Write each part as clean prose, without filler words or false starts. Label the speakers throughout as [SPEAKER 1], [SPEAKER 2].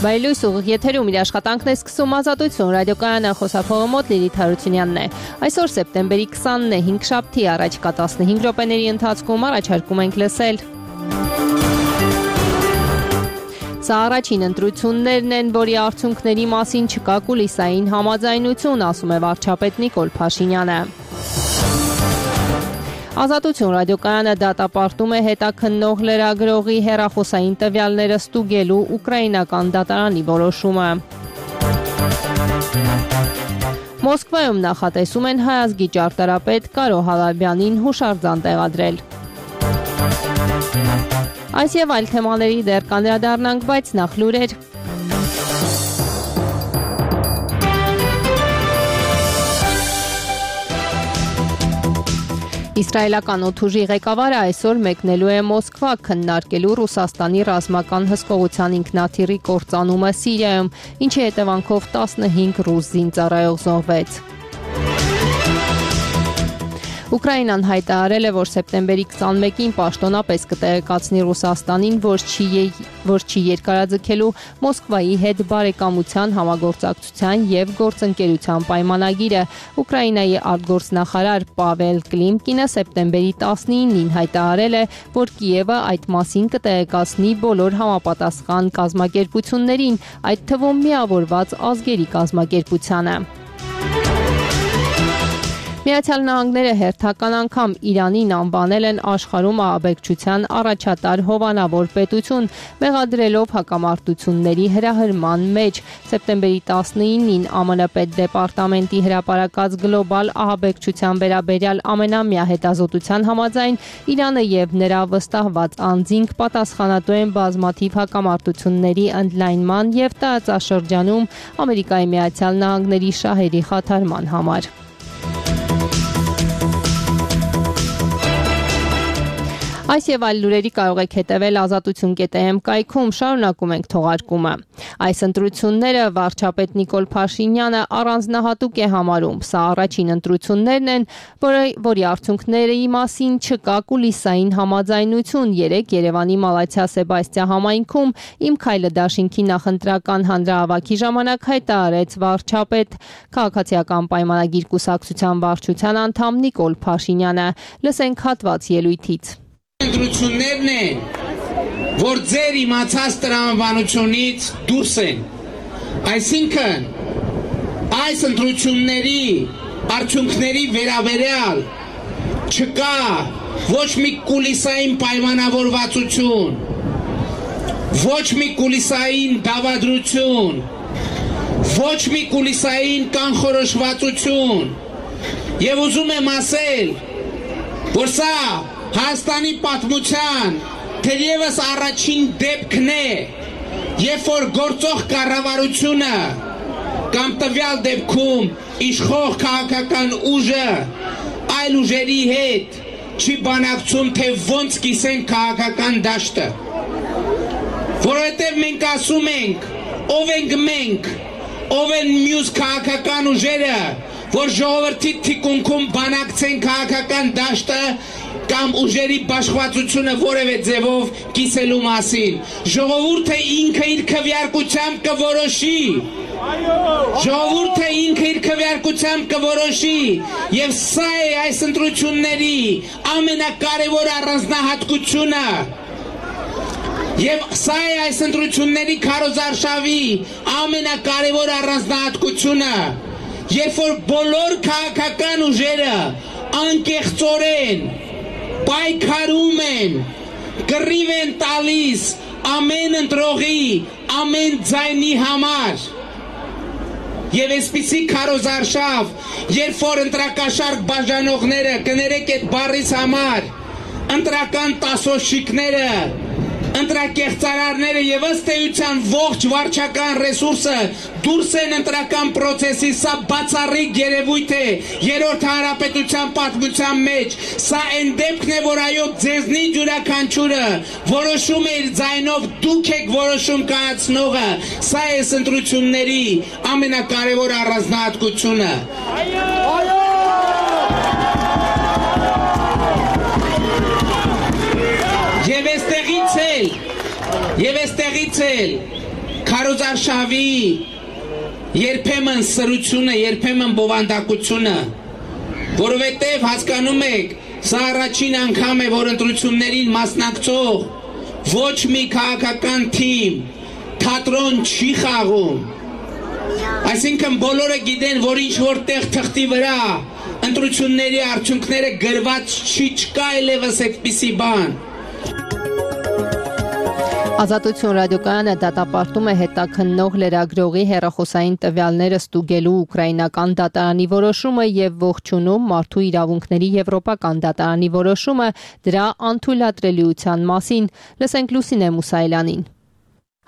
[SPEAKER 1] Բայլույս ուղիղ եթերում իր աշխատանքն է սկսում Ազատություն ռադիոկայանը, խոսափողը մոտ Լիլիթ Հարությունյանն է։ Այսօր սեպտեմբերի 20-ն է, 5 շաբթի, առաջիկա 15 րոպեների ընթացքում առաջարկում ենք լսել։ Սա առաջին ընտրություններն են, որի արդյունքների մասին չկա կուլիսային համաձայնություն, ասում է վարչապետ Նիկոլ Փաշինյանը։ Ազատություն ռադիոկայանը դատապարտում է հետաքննող լրագրողի հեռախոսային տվյալները ստուգելու ուկրաինական դատարանի որոշումը։ Մոսկվայում նախատեսում են հայազգի ճարտարապետ Կարո Հալաբյանին հուշարձան տեղադրել։ Այս եւ այլ թեմաների դեռ կանդրադառնանք, բայց նախ լուրեր։ Իսրայելական օդուժի ղեկավարը այսօր մեկնելու է Մոսկվա քննարկելու Ռուսաստանի ռազմական հսկողության ինքնաթիռի կործանումը Սիրիայում, ինչի հետևանքով 15 ռուս զինծառայող զոհվեց։ Ուկրաինան հայտարարել է, որ սեպտեմբերի 21-ին պաշտոնապես կտեղեկացնի Ռուսաստանին, որ չի երկարաձգելու Մոսկվայի հետ բարեկամության, համագործակցության եւ գործընկերության պայմանագիրը։ Ուկրաինայի արտգործնախարար Պավել Կլիմկինը սեպտեմբերի 19-ին հայտարարել է, որ Կիևը այդ մասին կտեղեկացնի բոլոր համապատասխան կազմակերպություններին, այդ թվում Միավորված ազգերի կազմակերպությանը։ Միացյալ Նահանգները հերթական անգամ Իրանին անվանել են աշխարհում ահաբեկչության առաջատար հովանավոր պետություն, մեղադրելով հակամարտությունների հրահրման մեջ։ Սեպտեմբերի 19-ին ԱՄՆ պետդեպարտամենտի հրապարակած գլոբալ ահաբեկչության վերաբերյալ ամենամյա հետազոտության համաձայն Իրանը եւ նրա վստահված անձինք պատասխանատու են բազմաթիվ հակամարտությունների ընդլայնման եւ տարածաշրջանում Ամերիկայի Միացյալ Նահանգների շահերի խաթարման համար։ Այս եւ այլ լուրերի կարող եք հետևել Ազատություն.am կայքում, շարունակում ենք թողարկումը։ Այս ընտրությունները վարչապետ Նիկոլ Փաշինյանը առանձնահատուկ է համարում։ Սա առաջին ընտրություններն են, որի արդյունքների մասին չկա կուլիսային համաձայնություն։ Երեկ Երևանի Մալաթիա Սեբաստիա համայնքում Իմ քայլը դաշինքի նախընտրական հանրահավաքի ժամանակ հայտարարեց վարչապետ քաղաքացիական պայմանագիր կուսակցության վարչության անդամ Նիկոլ Փաշինյանը։ Լսենք հատված ելույթից։
[SPEAKER 2] Ընտրություններն են, որ ձեր իմացած տրամաբանությունից դուրս են։ Այսինքն, այս ընտրությունների արդյունքների վերաբերյալ չկա ոչ մի կուլիսային պայմանավորվածություն, ոչ մի կուլիսային դավադրություն, ոչ մի կուլիսային կանխորոշվածություն։ Եվ ուզում եմ ասել, որ սա Հայաստանի պատմության թերևս առաջին դեպքն է, երբ որ գործող կառավարությունը կամ տվյալ դեպքում իշխող քաղաքական ուժը այլ ուժերի հետ չի բանակցում, թե ոնց կիսեն քաղաքական դաշտը։ Որովհետև մենք ասում ենք, ով ենք մենք, ով են մյուս քաղաքական ուժերը, որ ժողովրդի թիկունքում բանակցեն քաղաքական դաշտը կամ ուժերի բաշխվածությունը որևէ ձևով կիսելու մասին։ Ժողովուրդը ինքը իր քվեարկությամբ կորոշի։ Ժողովուրդը ինքը իր քվեարկությամբ կորոշի, եւ սա է այս ընտրությունների ամենակարևոր առանձնահատկությունը։ Եվ սա է այս ընտրությունների քարոզարշավի ամենակարևոր առանձնահատկությունը, երբ որ բոլոր քաղաքական ուժերը անկեղծորեն պայքարում են, կռիվ են տալիս ամեն ընտրողի, ամեն ձայնի համար։ Եվ այսպիսի քարոզարշավ, երբ որ ընտրակաշարք բաժանողները, կներեք այդ բառից համար, ընտրական տասոշիկները, ընտրակեղծարարները եւ ըստ էության ողջ վարչական ռեսուրսը դուրս են ընտրական process-ի, սա բացառիկ երևույթ է երրորդ հանրապետության պատմության մեջ։ Սա այն դեպքն է, որ այո ձեզնից յուրաքանչյուրը որոշում է իր ձայնով, դուք եք որոշում կայացնողը։ Սա է ընտրությունների ամենակարևոր առանձնահատկությունը։ Այո։ Եվ այստեղից էլ քարոզարշավի երբեմն սրությունը, երբեմն բովանդակությունը, որովհետև հասկանում եք, սա առաջին անգամ է, որ ընտրություններին մասնակցող ոչ մի քաղաքական թիմ թատրոն չի խաղում։ Այսինքն բոլորը գիտեն, որ ինչ որտեղ թղթի վրա ընտրությունների արդյունքները գրված չկա այլևս այդպիսի բան։
[SPEAKER 1] Ազատություն ռադիոկայանը դատապարտում է հետաքննող լրագրողի հեռախոսային տվյալները ստուգելու ուկրաինական դատարանի որոշումը եւ ողջունում մարդու իրավունքների եվրոպական դատարանի որոշումը դրա անթույլատրելիության մասին։ Լսենք Լուսինե Մուսայելյանին։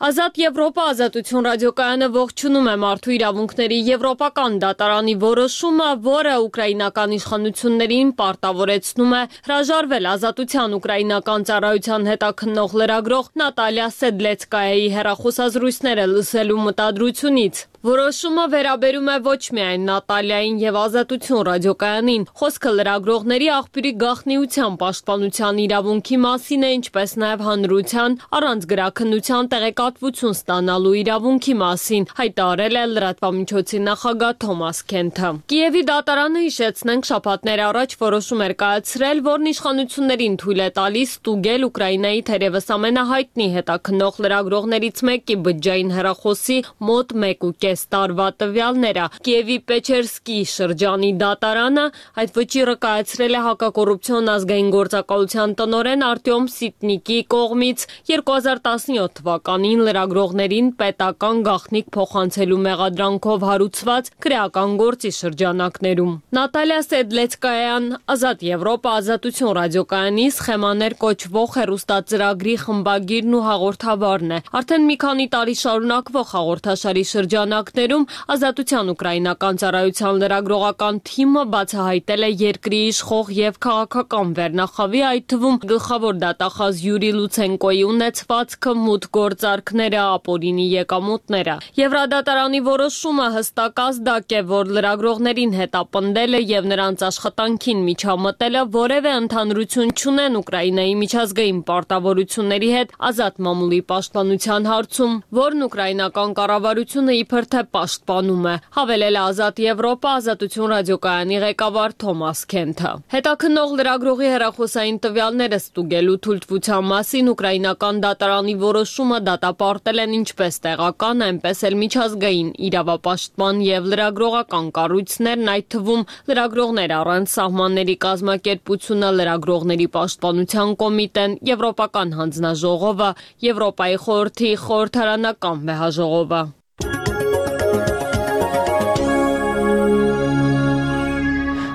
[SPEAKER 3] Ազատ Եվրոպա ազատություն ռադիոկայանը ողջունում է մարդու իրավունքների եվրոպական դատարանի որոշումը, որը ուկրաինական իշխանություններին պարտավորեցնում է հրաժարվել ազատության ուկրաինական ծառայության հետաքննող լրագրող Նատալիա Սեդլեցկայայի հեռախոսազրույցները լսելու մտադրությունից։ Որոշումը վերաբերում է ոչ միայն Նատալիային եւ Ազատություն ռադիոկայանին, խոսքը լրագրողների աղբյուրի գաղտնիության պաշտպանության իրավունքի մասին է, ինչպես նաեւ հանրության առանց գրաքննության տեղեկատվություն ստանալու իրավունքի մասին, հայտարարել է լրատվամիջոցի նախագահ Թոմաս Քենթը։ Կիևի դատարանը, հիշեցնենք, շաբաթներ առաջ որոշում էր կայացրել, որն իշխանություններին թույլ է տալիս ստուգել Ուկրաինայի թերևս ամենահայտնի հետաքննող լրագրողներից մեկի բջջային հեռախոսի մոտ 1.5 տարվա տվյալները։ Կիևի Պեչերսկի շրջանի դատարանը այդ վճիռը կայացրել է հակակոռուպցիոն ազգային գործակալության տնօրեն Արտյոմ Սիտնիկի կողմից 2017 թվականին լրագրողներին պետական գաղտնիք փոխանցելու մեղադրանքով հարուցված քրեական գործի շրջանակներում։ Նատալիա Սեդլեցկայան, Ազատ Եվրոպա ազատություն ռադիոկայանի սխեմաներ կոչվող հեռուստածրագրի խմբագիրն ու հաղորդավարն է։ Արդեն մի քանի տարի շարունակվող հաղորդաշարի շրջանակ Ազատության ուկրաինական ծառայության լրագրողական թիմը բացահայտել է երկրի իշխող եւ քաղաքական վերնախավի, այդ թվում գլխավոր դատախազ Յուրի Լուցենկոյի ունեցվածքը, մուտքգործարքները, ապօրինի եկամուտները։ Եվրադատարանի որոշումը հստակ ազդակ է, որ լրագրողներին հետապնդելը եւ նրանց աշխատանքին միջամտելը որևէ ընդհանրություն չունեն Ուկրաինայի միջազգային պարտավորությունների հետ ազատ մամուլի պաշտպանության հարցում, որն ուկրաինական կառավարությունը իբր թե պաշտպանում է, հավելել է Ազատ Եվրոպա ազատություն ռադիոկայանի ղեկավար Թոմաս Քենթը։ Հետաքննող լրագրողի հեռախոսային տվյալները ստուգելու թույլտվության մասին ուկրաինական դատարանի որոշումը դատապարտել են ինչպես տեղական, այնպես էլ միջազգային իրավապաշտպան եւ լրագրողական կառույցներն, այդ թվում լրագրողներ առանց սահմանների կազմակերպությունը, լրագրողների պաշտպանության կոմիտեն, Եվրոպական հանձնաժողովը, Եվրոպայի խորհրդի խորհրդարանական վեհաժողովը։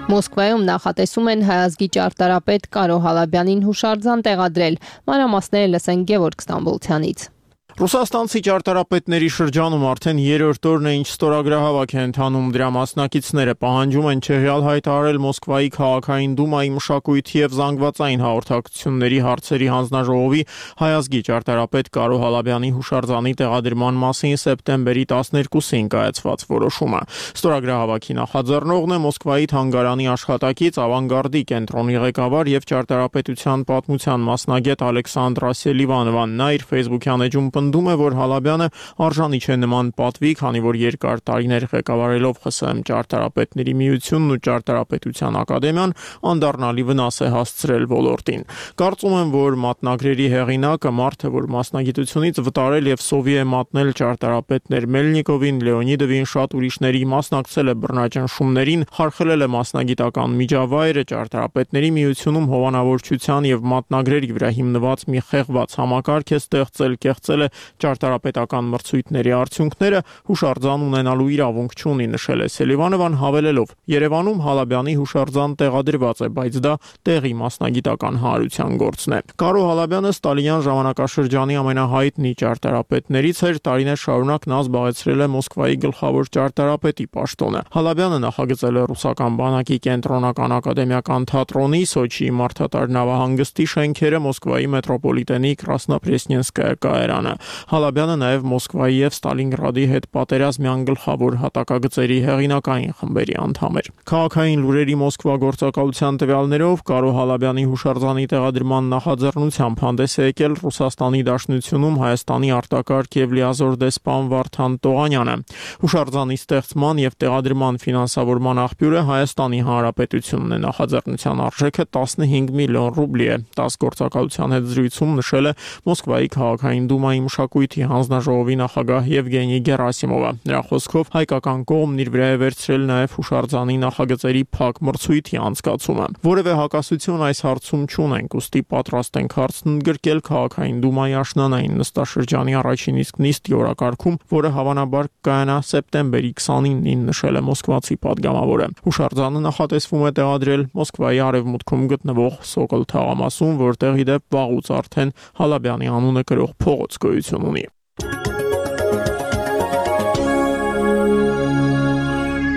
[SPEAKER 1] Մոսկվայում նախատեսում են հայազգի ճարտարապետ Կարո Հալաբյանին հուշարձան տեղադրել։ Մանրամասները լսենք Գևորգ Ստամբոլցյանից։
[SPEAKER 4] Ռուսաստանցի ճարտարապետների շրջանում արդեն երրորդ օրն է, ինչ ստորագրահավաք է ընթանում, դրա մասնակիցները պահանջում են չեղյալ հայտարարել Մոսկվայի քաղաքային դումայի մշակույթի եւ զանգվածային հաղորդակցությունների հարցերի հանձնաժողովի հայազգի ճարտարապետ Կարո Հալաբյանի հուշարձանի տեղադրման մասին սեպտեմբերի 12-ին կայացված որոշումը։ Ստորագրահավաքի նախաձեռնողն է Մոսկվայի թանգարանի աշխատակից Ավանգարդի կենտրոնի ղեկավար եւ ճարտարապետության պատմության մասնագետ Ալեքսանդրա Սելիվանովան։ Նա իր Facebook-յան էջում պնդում է, որ Հալաբյանը արժանի չէ նման պատվի, քանի որ երկար տարիներ ղեկավարելով ԽՍՀՄ ճարտարապետների միությունն ու ճարտարապետության ակադեմիան անդառնալի վնաս է հասցրել ոլորտին։ Կարծում եմ, որ մատնագրերի հեղինակը մարդը, որ մասնագիտությունից վտարել եւ սովի է մատնել ճարտարապետներ Մելնիկովին, Լեոնիդովին, շատ ուրիշների, մասնակցել է բռնաճնշումներին, խարխլել է մասնագիտական միջավայրը, ճարտարապետների միությունում հովանավորչության եւ մատնագրերի վրա հիմնված մի խեղված համակարգ է ստեղծել, կեղծել է ճարտարապետական մրցույթների արդյունքները, հուշարձան ունենալու իրավունք չունի, նշել է Սելիվանովան, հավելելով. Երևանում Հալաբյանի հուշարձան տեղադրված է, բայց դա տեղի մասնագիտական հանրության գործն է։ Կարո Հալաբյանը Ստալինյան ժամանակաշրջանի ամենահայտնի ճարտարապետներից էր, տարիներ շարունակ նա զբաղեցրել է Մոսկվայի գլխավոր ճարտարապետի պաշտոնը։ Հալաբյանը նախագծել է ռուսական բանակի կենտրոնական ակադեմիական թատրոնի, Սոչիի մարդատար նավահանգստի շենքերը, Մոսկվայի մետրոպոլիտենի Կրասնոպրեսնենսկայա կայարանը։ Հալաբյանը նաև Մոսկվայի եւ Ստալինգրադի հետ պատերազմյան գլխավոր հատակագծերի հեղինակային խմբերի անդամ էր։ Քաղաքային լուրերի Մոսկվա գործակալության տվյալներով Կարո Հալաբյանի հուշարձանի տեղադրման նախաձեռնությամբ հանդես է եկել Ռուսաստանի Դաշնությունում Հայաստանի արտակարգ եւ լիազոր դեսպան Վարդան Տողանյանը։ Հուշարձանի ստեղծման եւ տեղադրման ֆինանսավորման աղբյուրը Հայաստանի Հանրապետությունն է։ Նախաձեռնության արժեքը 15 միլիոն ռուբլի է։ 10 գործակալության հետ զրույցում նշել է Մոսկվայի քաղաքային դումայի մշակույթի հանձնաժողովի նախագահ Եվգենի Գերասիմովը։ Նրա խոսքով հայկական կողմն իր վրա է վերցրել նաև հուշարձանի նախագծերի փակ մրցույթի անցկացումը։ Որևէ հակասություն այս հարցում չունենք, ուստի պատրաստ ենք հարցն ընդգրկել քաղաքային դումայի աշնանային նստաշրջանի առաջին իսկ նիստի օրակարգում, որը հավանաբար կայանա սեպտեմբերի 29-ին, նշել է մոսկվացի պատգամավորը։ Հուշարձանը նախատեսվում է տեղադրել Մոսկվայի արևմուտքում գտնվող Սոկոլ թաղամասում, որտեղ ի դեպ վաղուց արդեն Հալաբյանի անունը կրող փողոց գոյություն ունի։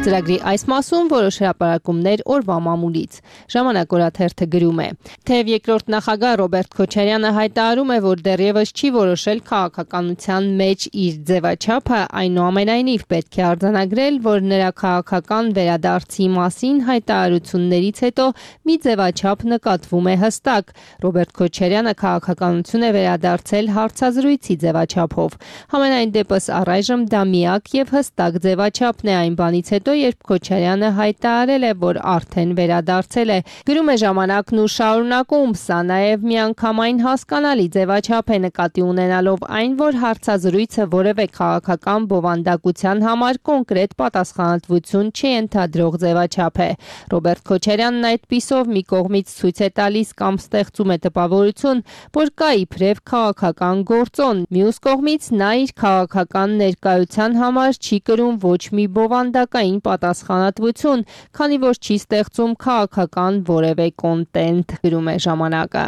[SPEAKER 1] Ծրագրի այս մասում որոշ հրապարակումներ օրվա մամուլից։ Ժամանակ օրաթերթը գրում է. Թեև երկրորդ նախագահ Ռոբերտ Քոչարյանը հայտարարում է, որ դեռևս չի որոշել քաղաքականության մեջ իր ձևաչափը, այնուամենայնիվ պետք է արձանագրել, որ նրա քաղաքական վերադարձի մասին հայտարարություններից հետո մի ձևաչափ նկատվում է հստակ։ Ռոբերտ Քոչարյանը քաղաքականություն է վերադարձել հարցազրույցի ձևաչափով։ Համենայն դեպս առայժմ դա միակ եւ հստակ ձևաչափն է այն բանից հետո, երբ Քոչարյանը հայտարարել է, որ արդեն վերադարձել է։ Գրում է Ժամանակն ու շարունակում, սա նաև միանգամայն հասկանալի ձևաչափ է նկատի ունենալով այն, որ հարցազրույցը որևէ քաղաքական բովանդակության համար կոնկրետ պատասխանատվություն չենթադրող ձևաչափ է։ Ռոբերտ Քոչարյանն այդպիսով մի կողմից ցույց է տալիս կամ ստեղծում է տպավորություն, որ կա իբրև քաղաքական գործոն, մյուս կողմից նա իր քաղաքական ներկայության համար չի կրում ոչ մի բովանդակային պատասխանատվություն, քանի որ չի ստեղծում քաղաքական որևէ կոնտենտ, գրում է Ժամանակը։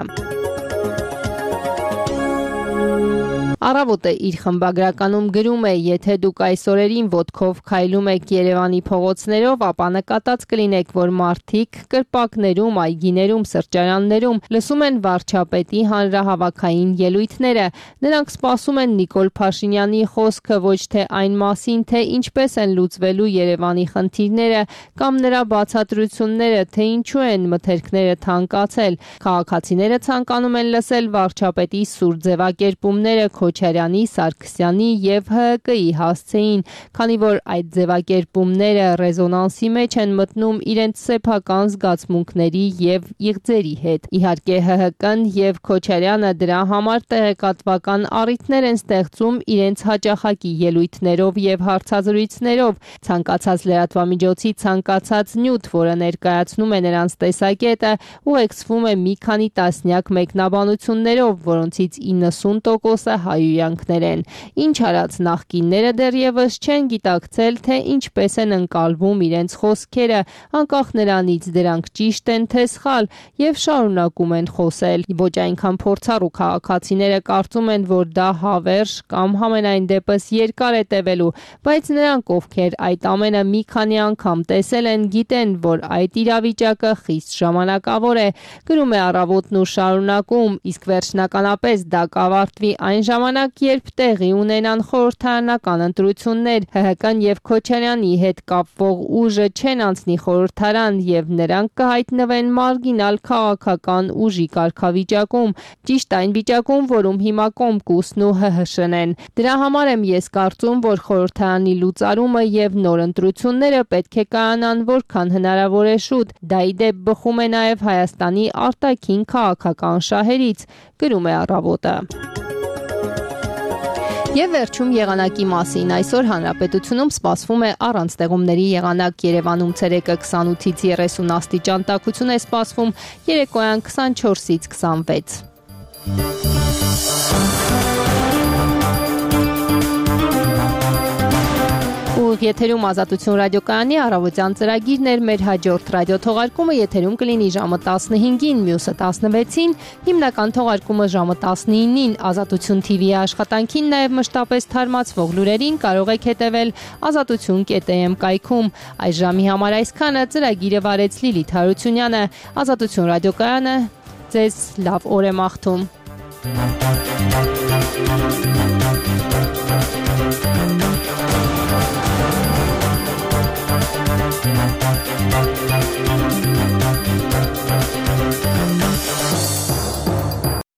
[SPEAKER 1] Առավոտը իր խմբագրականում գրում է. եթե դուք այս օրերին ոտքով քայլում եք Երևանի փողոցներով, ապա նկատած կլինեք, որ մարդիկ կրպակներում, այգիներում, սրճարաններում լսում են վարչապետի հանրահավաքային ելույթները։ Նրանք սպասում են Նիկոլ Փաշինյանի խոսքը ոչ թե այն մասին, թե ինչպես են լուծվելու Երևանի խնդիրները կամ նրա բացատրությունները, թե ինչու են մթերքները թանկացել։ Քաղաքացիները ցանկանում են լսել վարչապետի սուր ձևակերպումները Քոչարյանի, Սարգսյանի եւ ՀՀԿ-ի հասցեին, քանի որ այդ ձևակերպումները ռեզոնանսի մեջ են մտնում իրենց սեփական զգացմունքների եւ իղձերի հետ։ Իհարկե ՀՀԿ-ն եւ Քոչարյանը դրա համար տեղեկատվական առիթներ են ստեղծում իրենց հաճախակի ելույթներով եւ հարցազրույցներով։ Ցանկացած լրատվամիջոցի ցանկացած նյութ, որը ներկայացնում է նրանց տեսակետը, ուղեկցվում է մի քանի տասնյակ մեկնաբանություններով, որոնցից 90%-ը հայհոյանքներ են։ Ինչ արած նախկինները դեռևս չեն գիտակցել, թե ինչպես են ընկալվում իրենց խոսքերը, անկախ նրանից դրանք ճիշտ են թե սխալ, եւ շարունակում են խոսել։ Ոչ այնքան փորձառու քաղաքացիները կարծում են, որ դա հավերժ կամ համենայն դեպս երկար է տևելու, բայց նրանք, ովքեր այդ ամենը մի քանի անգամ տեսել են, գիտեն, որ այդ իրավիճակը խիստ ժամանակավոր է, գրում է Առավոտն ու շարունակում, իսկ վերջնականապես դա կավարտվի այն ժամանակ, երբ տեղի ունենան խորհրդարանական ընտրություններ, ՀՀԿ-ն եւ Քոչարյանի հետ կապվող ուժը չեն անցնի խորհրդարան եւ նրանք կհայտնվեն մարգինալ քաղաքական ուժի կարգավիճակում, ճիշտ այն վիճակում, որում հիմա Կոմկուսն ու ՀՀՇ-ն են։ Դրա համար եմ ես կարծում, որ խորհրդարանի լուծարումը եւ նոր ընտրությունները պետք է կայանան որքան հնարավոր է շուտ։ Դա ի դեպ բխում է նաեւ Հայաստանի արտաքին քաղաքական շահերից, գրում է Առավոտը։ Եվ վերջում եղանակի մասին։ Այսօր հանրապետությունում սպասվում է առանց տեղումների եղանակ։ Երևանում ցերեկը 28-ից 30 աստիճան տաքություն է սպասվում, երեկոյան 24-ից 26։ Եթերում Ազատություն ռադիոկայանի առավոտյան ծրագիրն էր, մեր հաջորդ ռադիոթողարկումը եթերում կլինի ժամը 15-ին, մյուսը 16-ին, հիմնական թողարկումը ժամը 19-ին։ Ազատություն TV-ի աշխատանքին նաև մշտապես թարմացվող լուրերին կարող եք հետևել azatutun.am կայքում։ Այս ժամի համար այսքանը, ծրագիրը վարեց Լիլիթ Հարությունյանը։ Ազատություն ռադիոկայանը ձեզ լավ օր է մաղթում։
[SPEAKER 4] Thank you.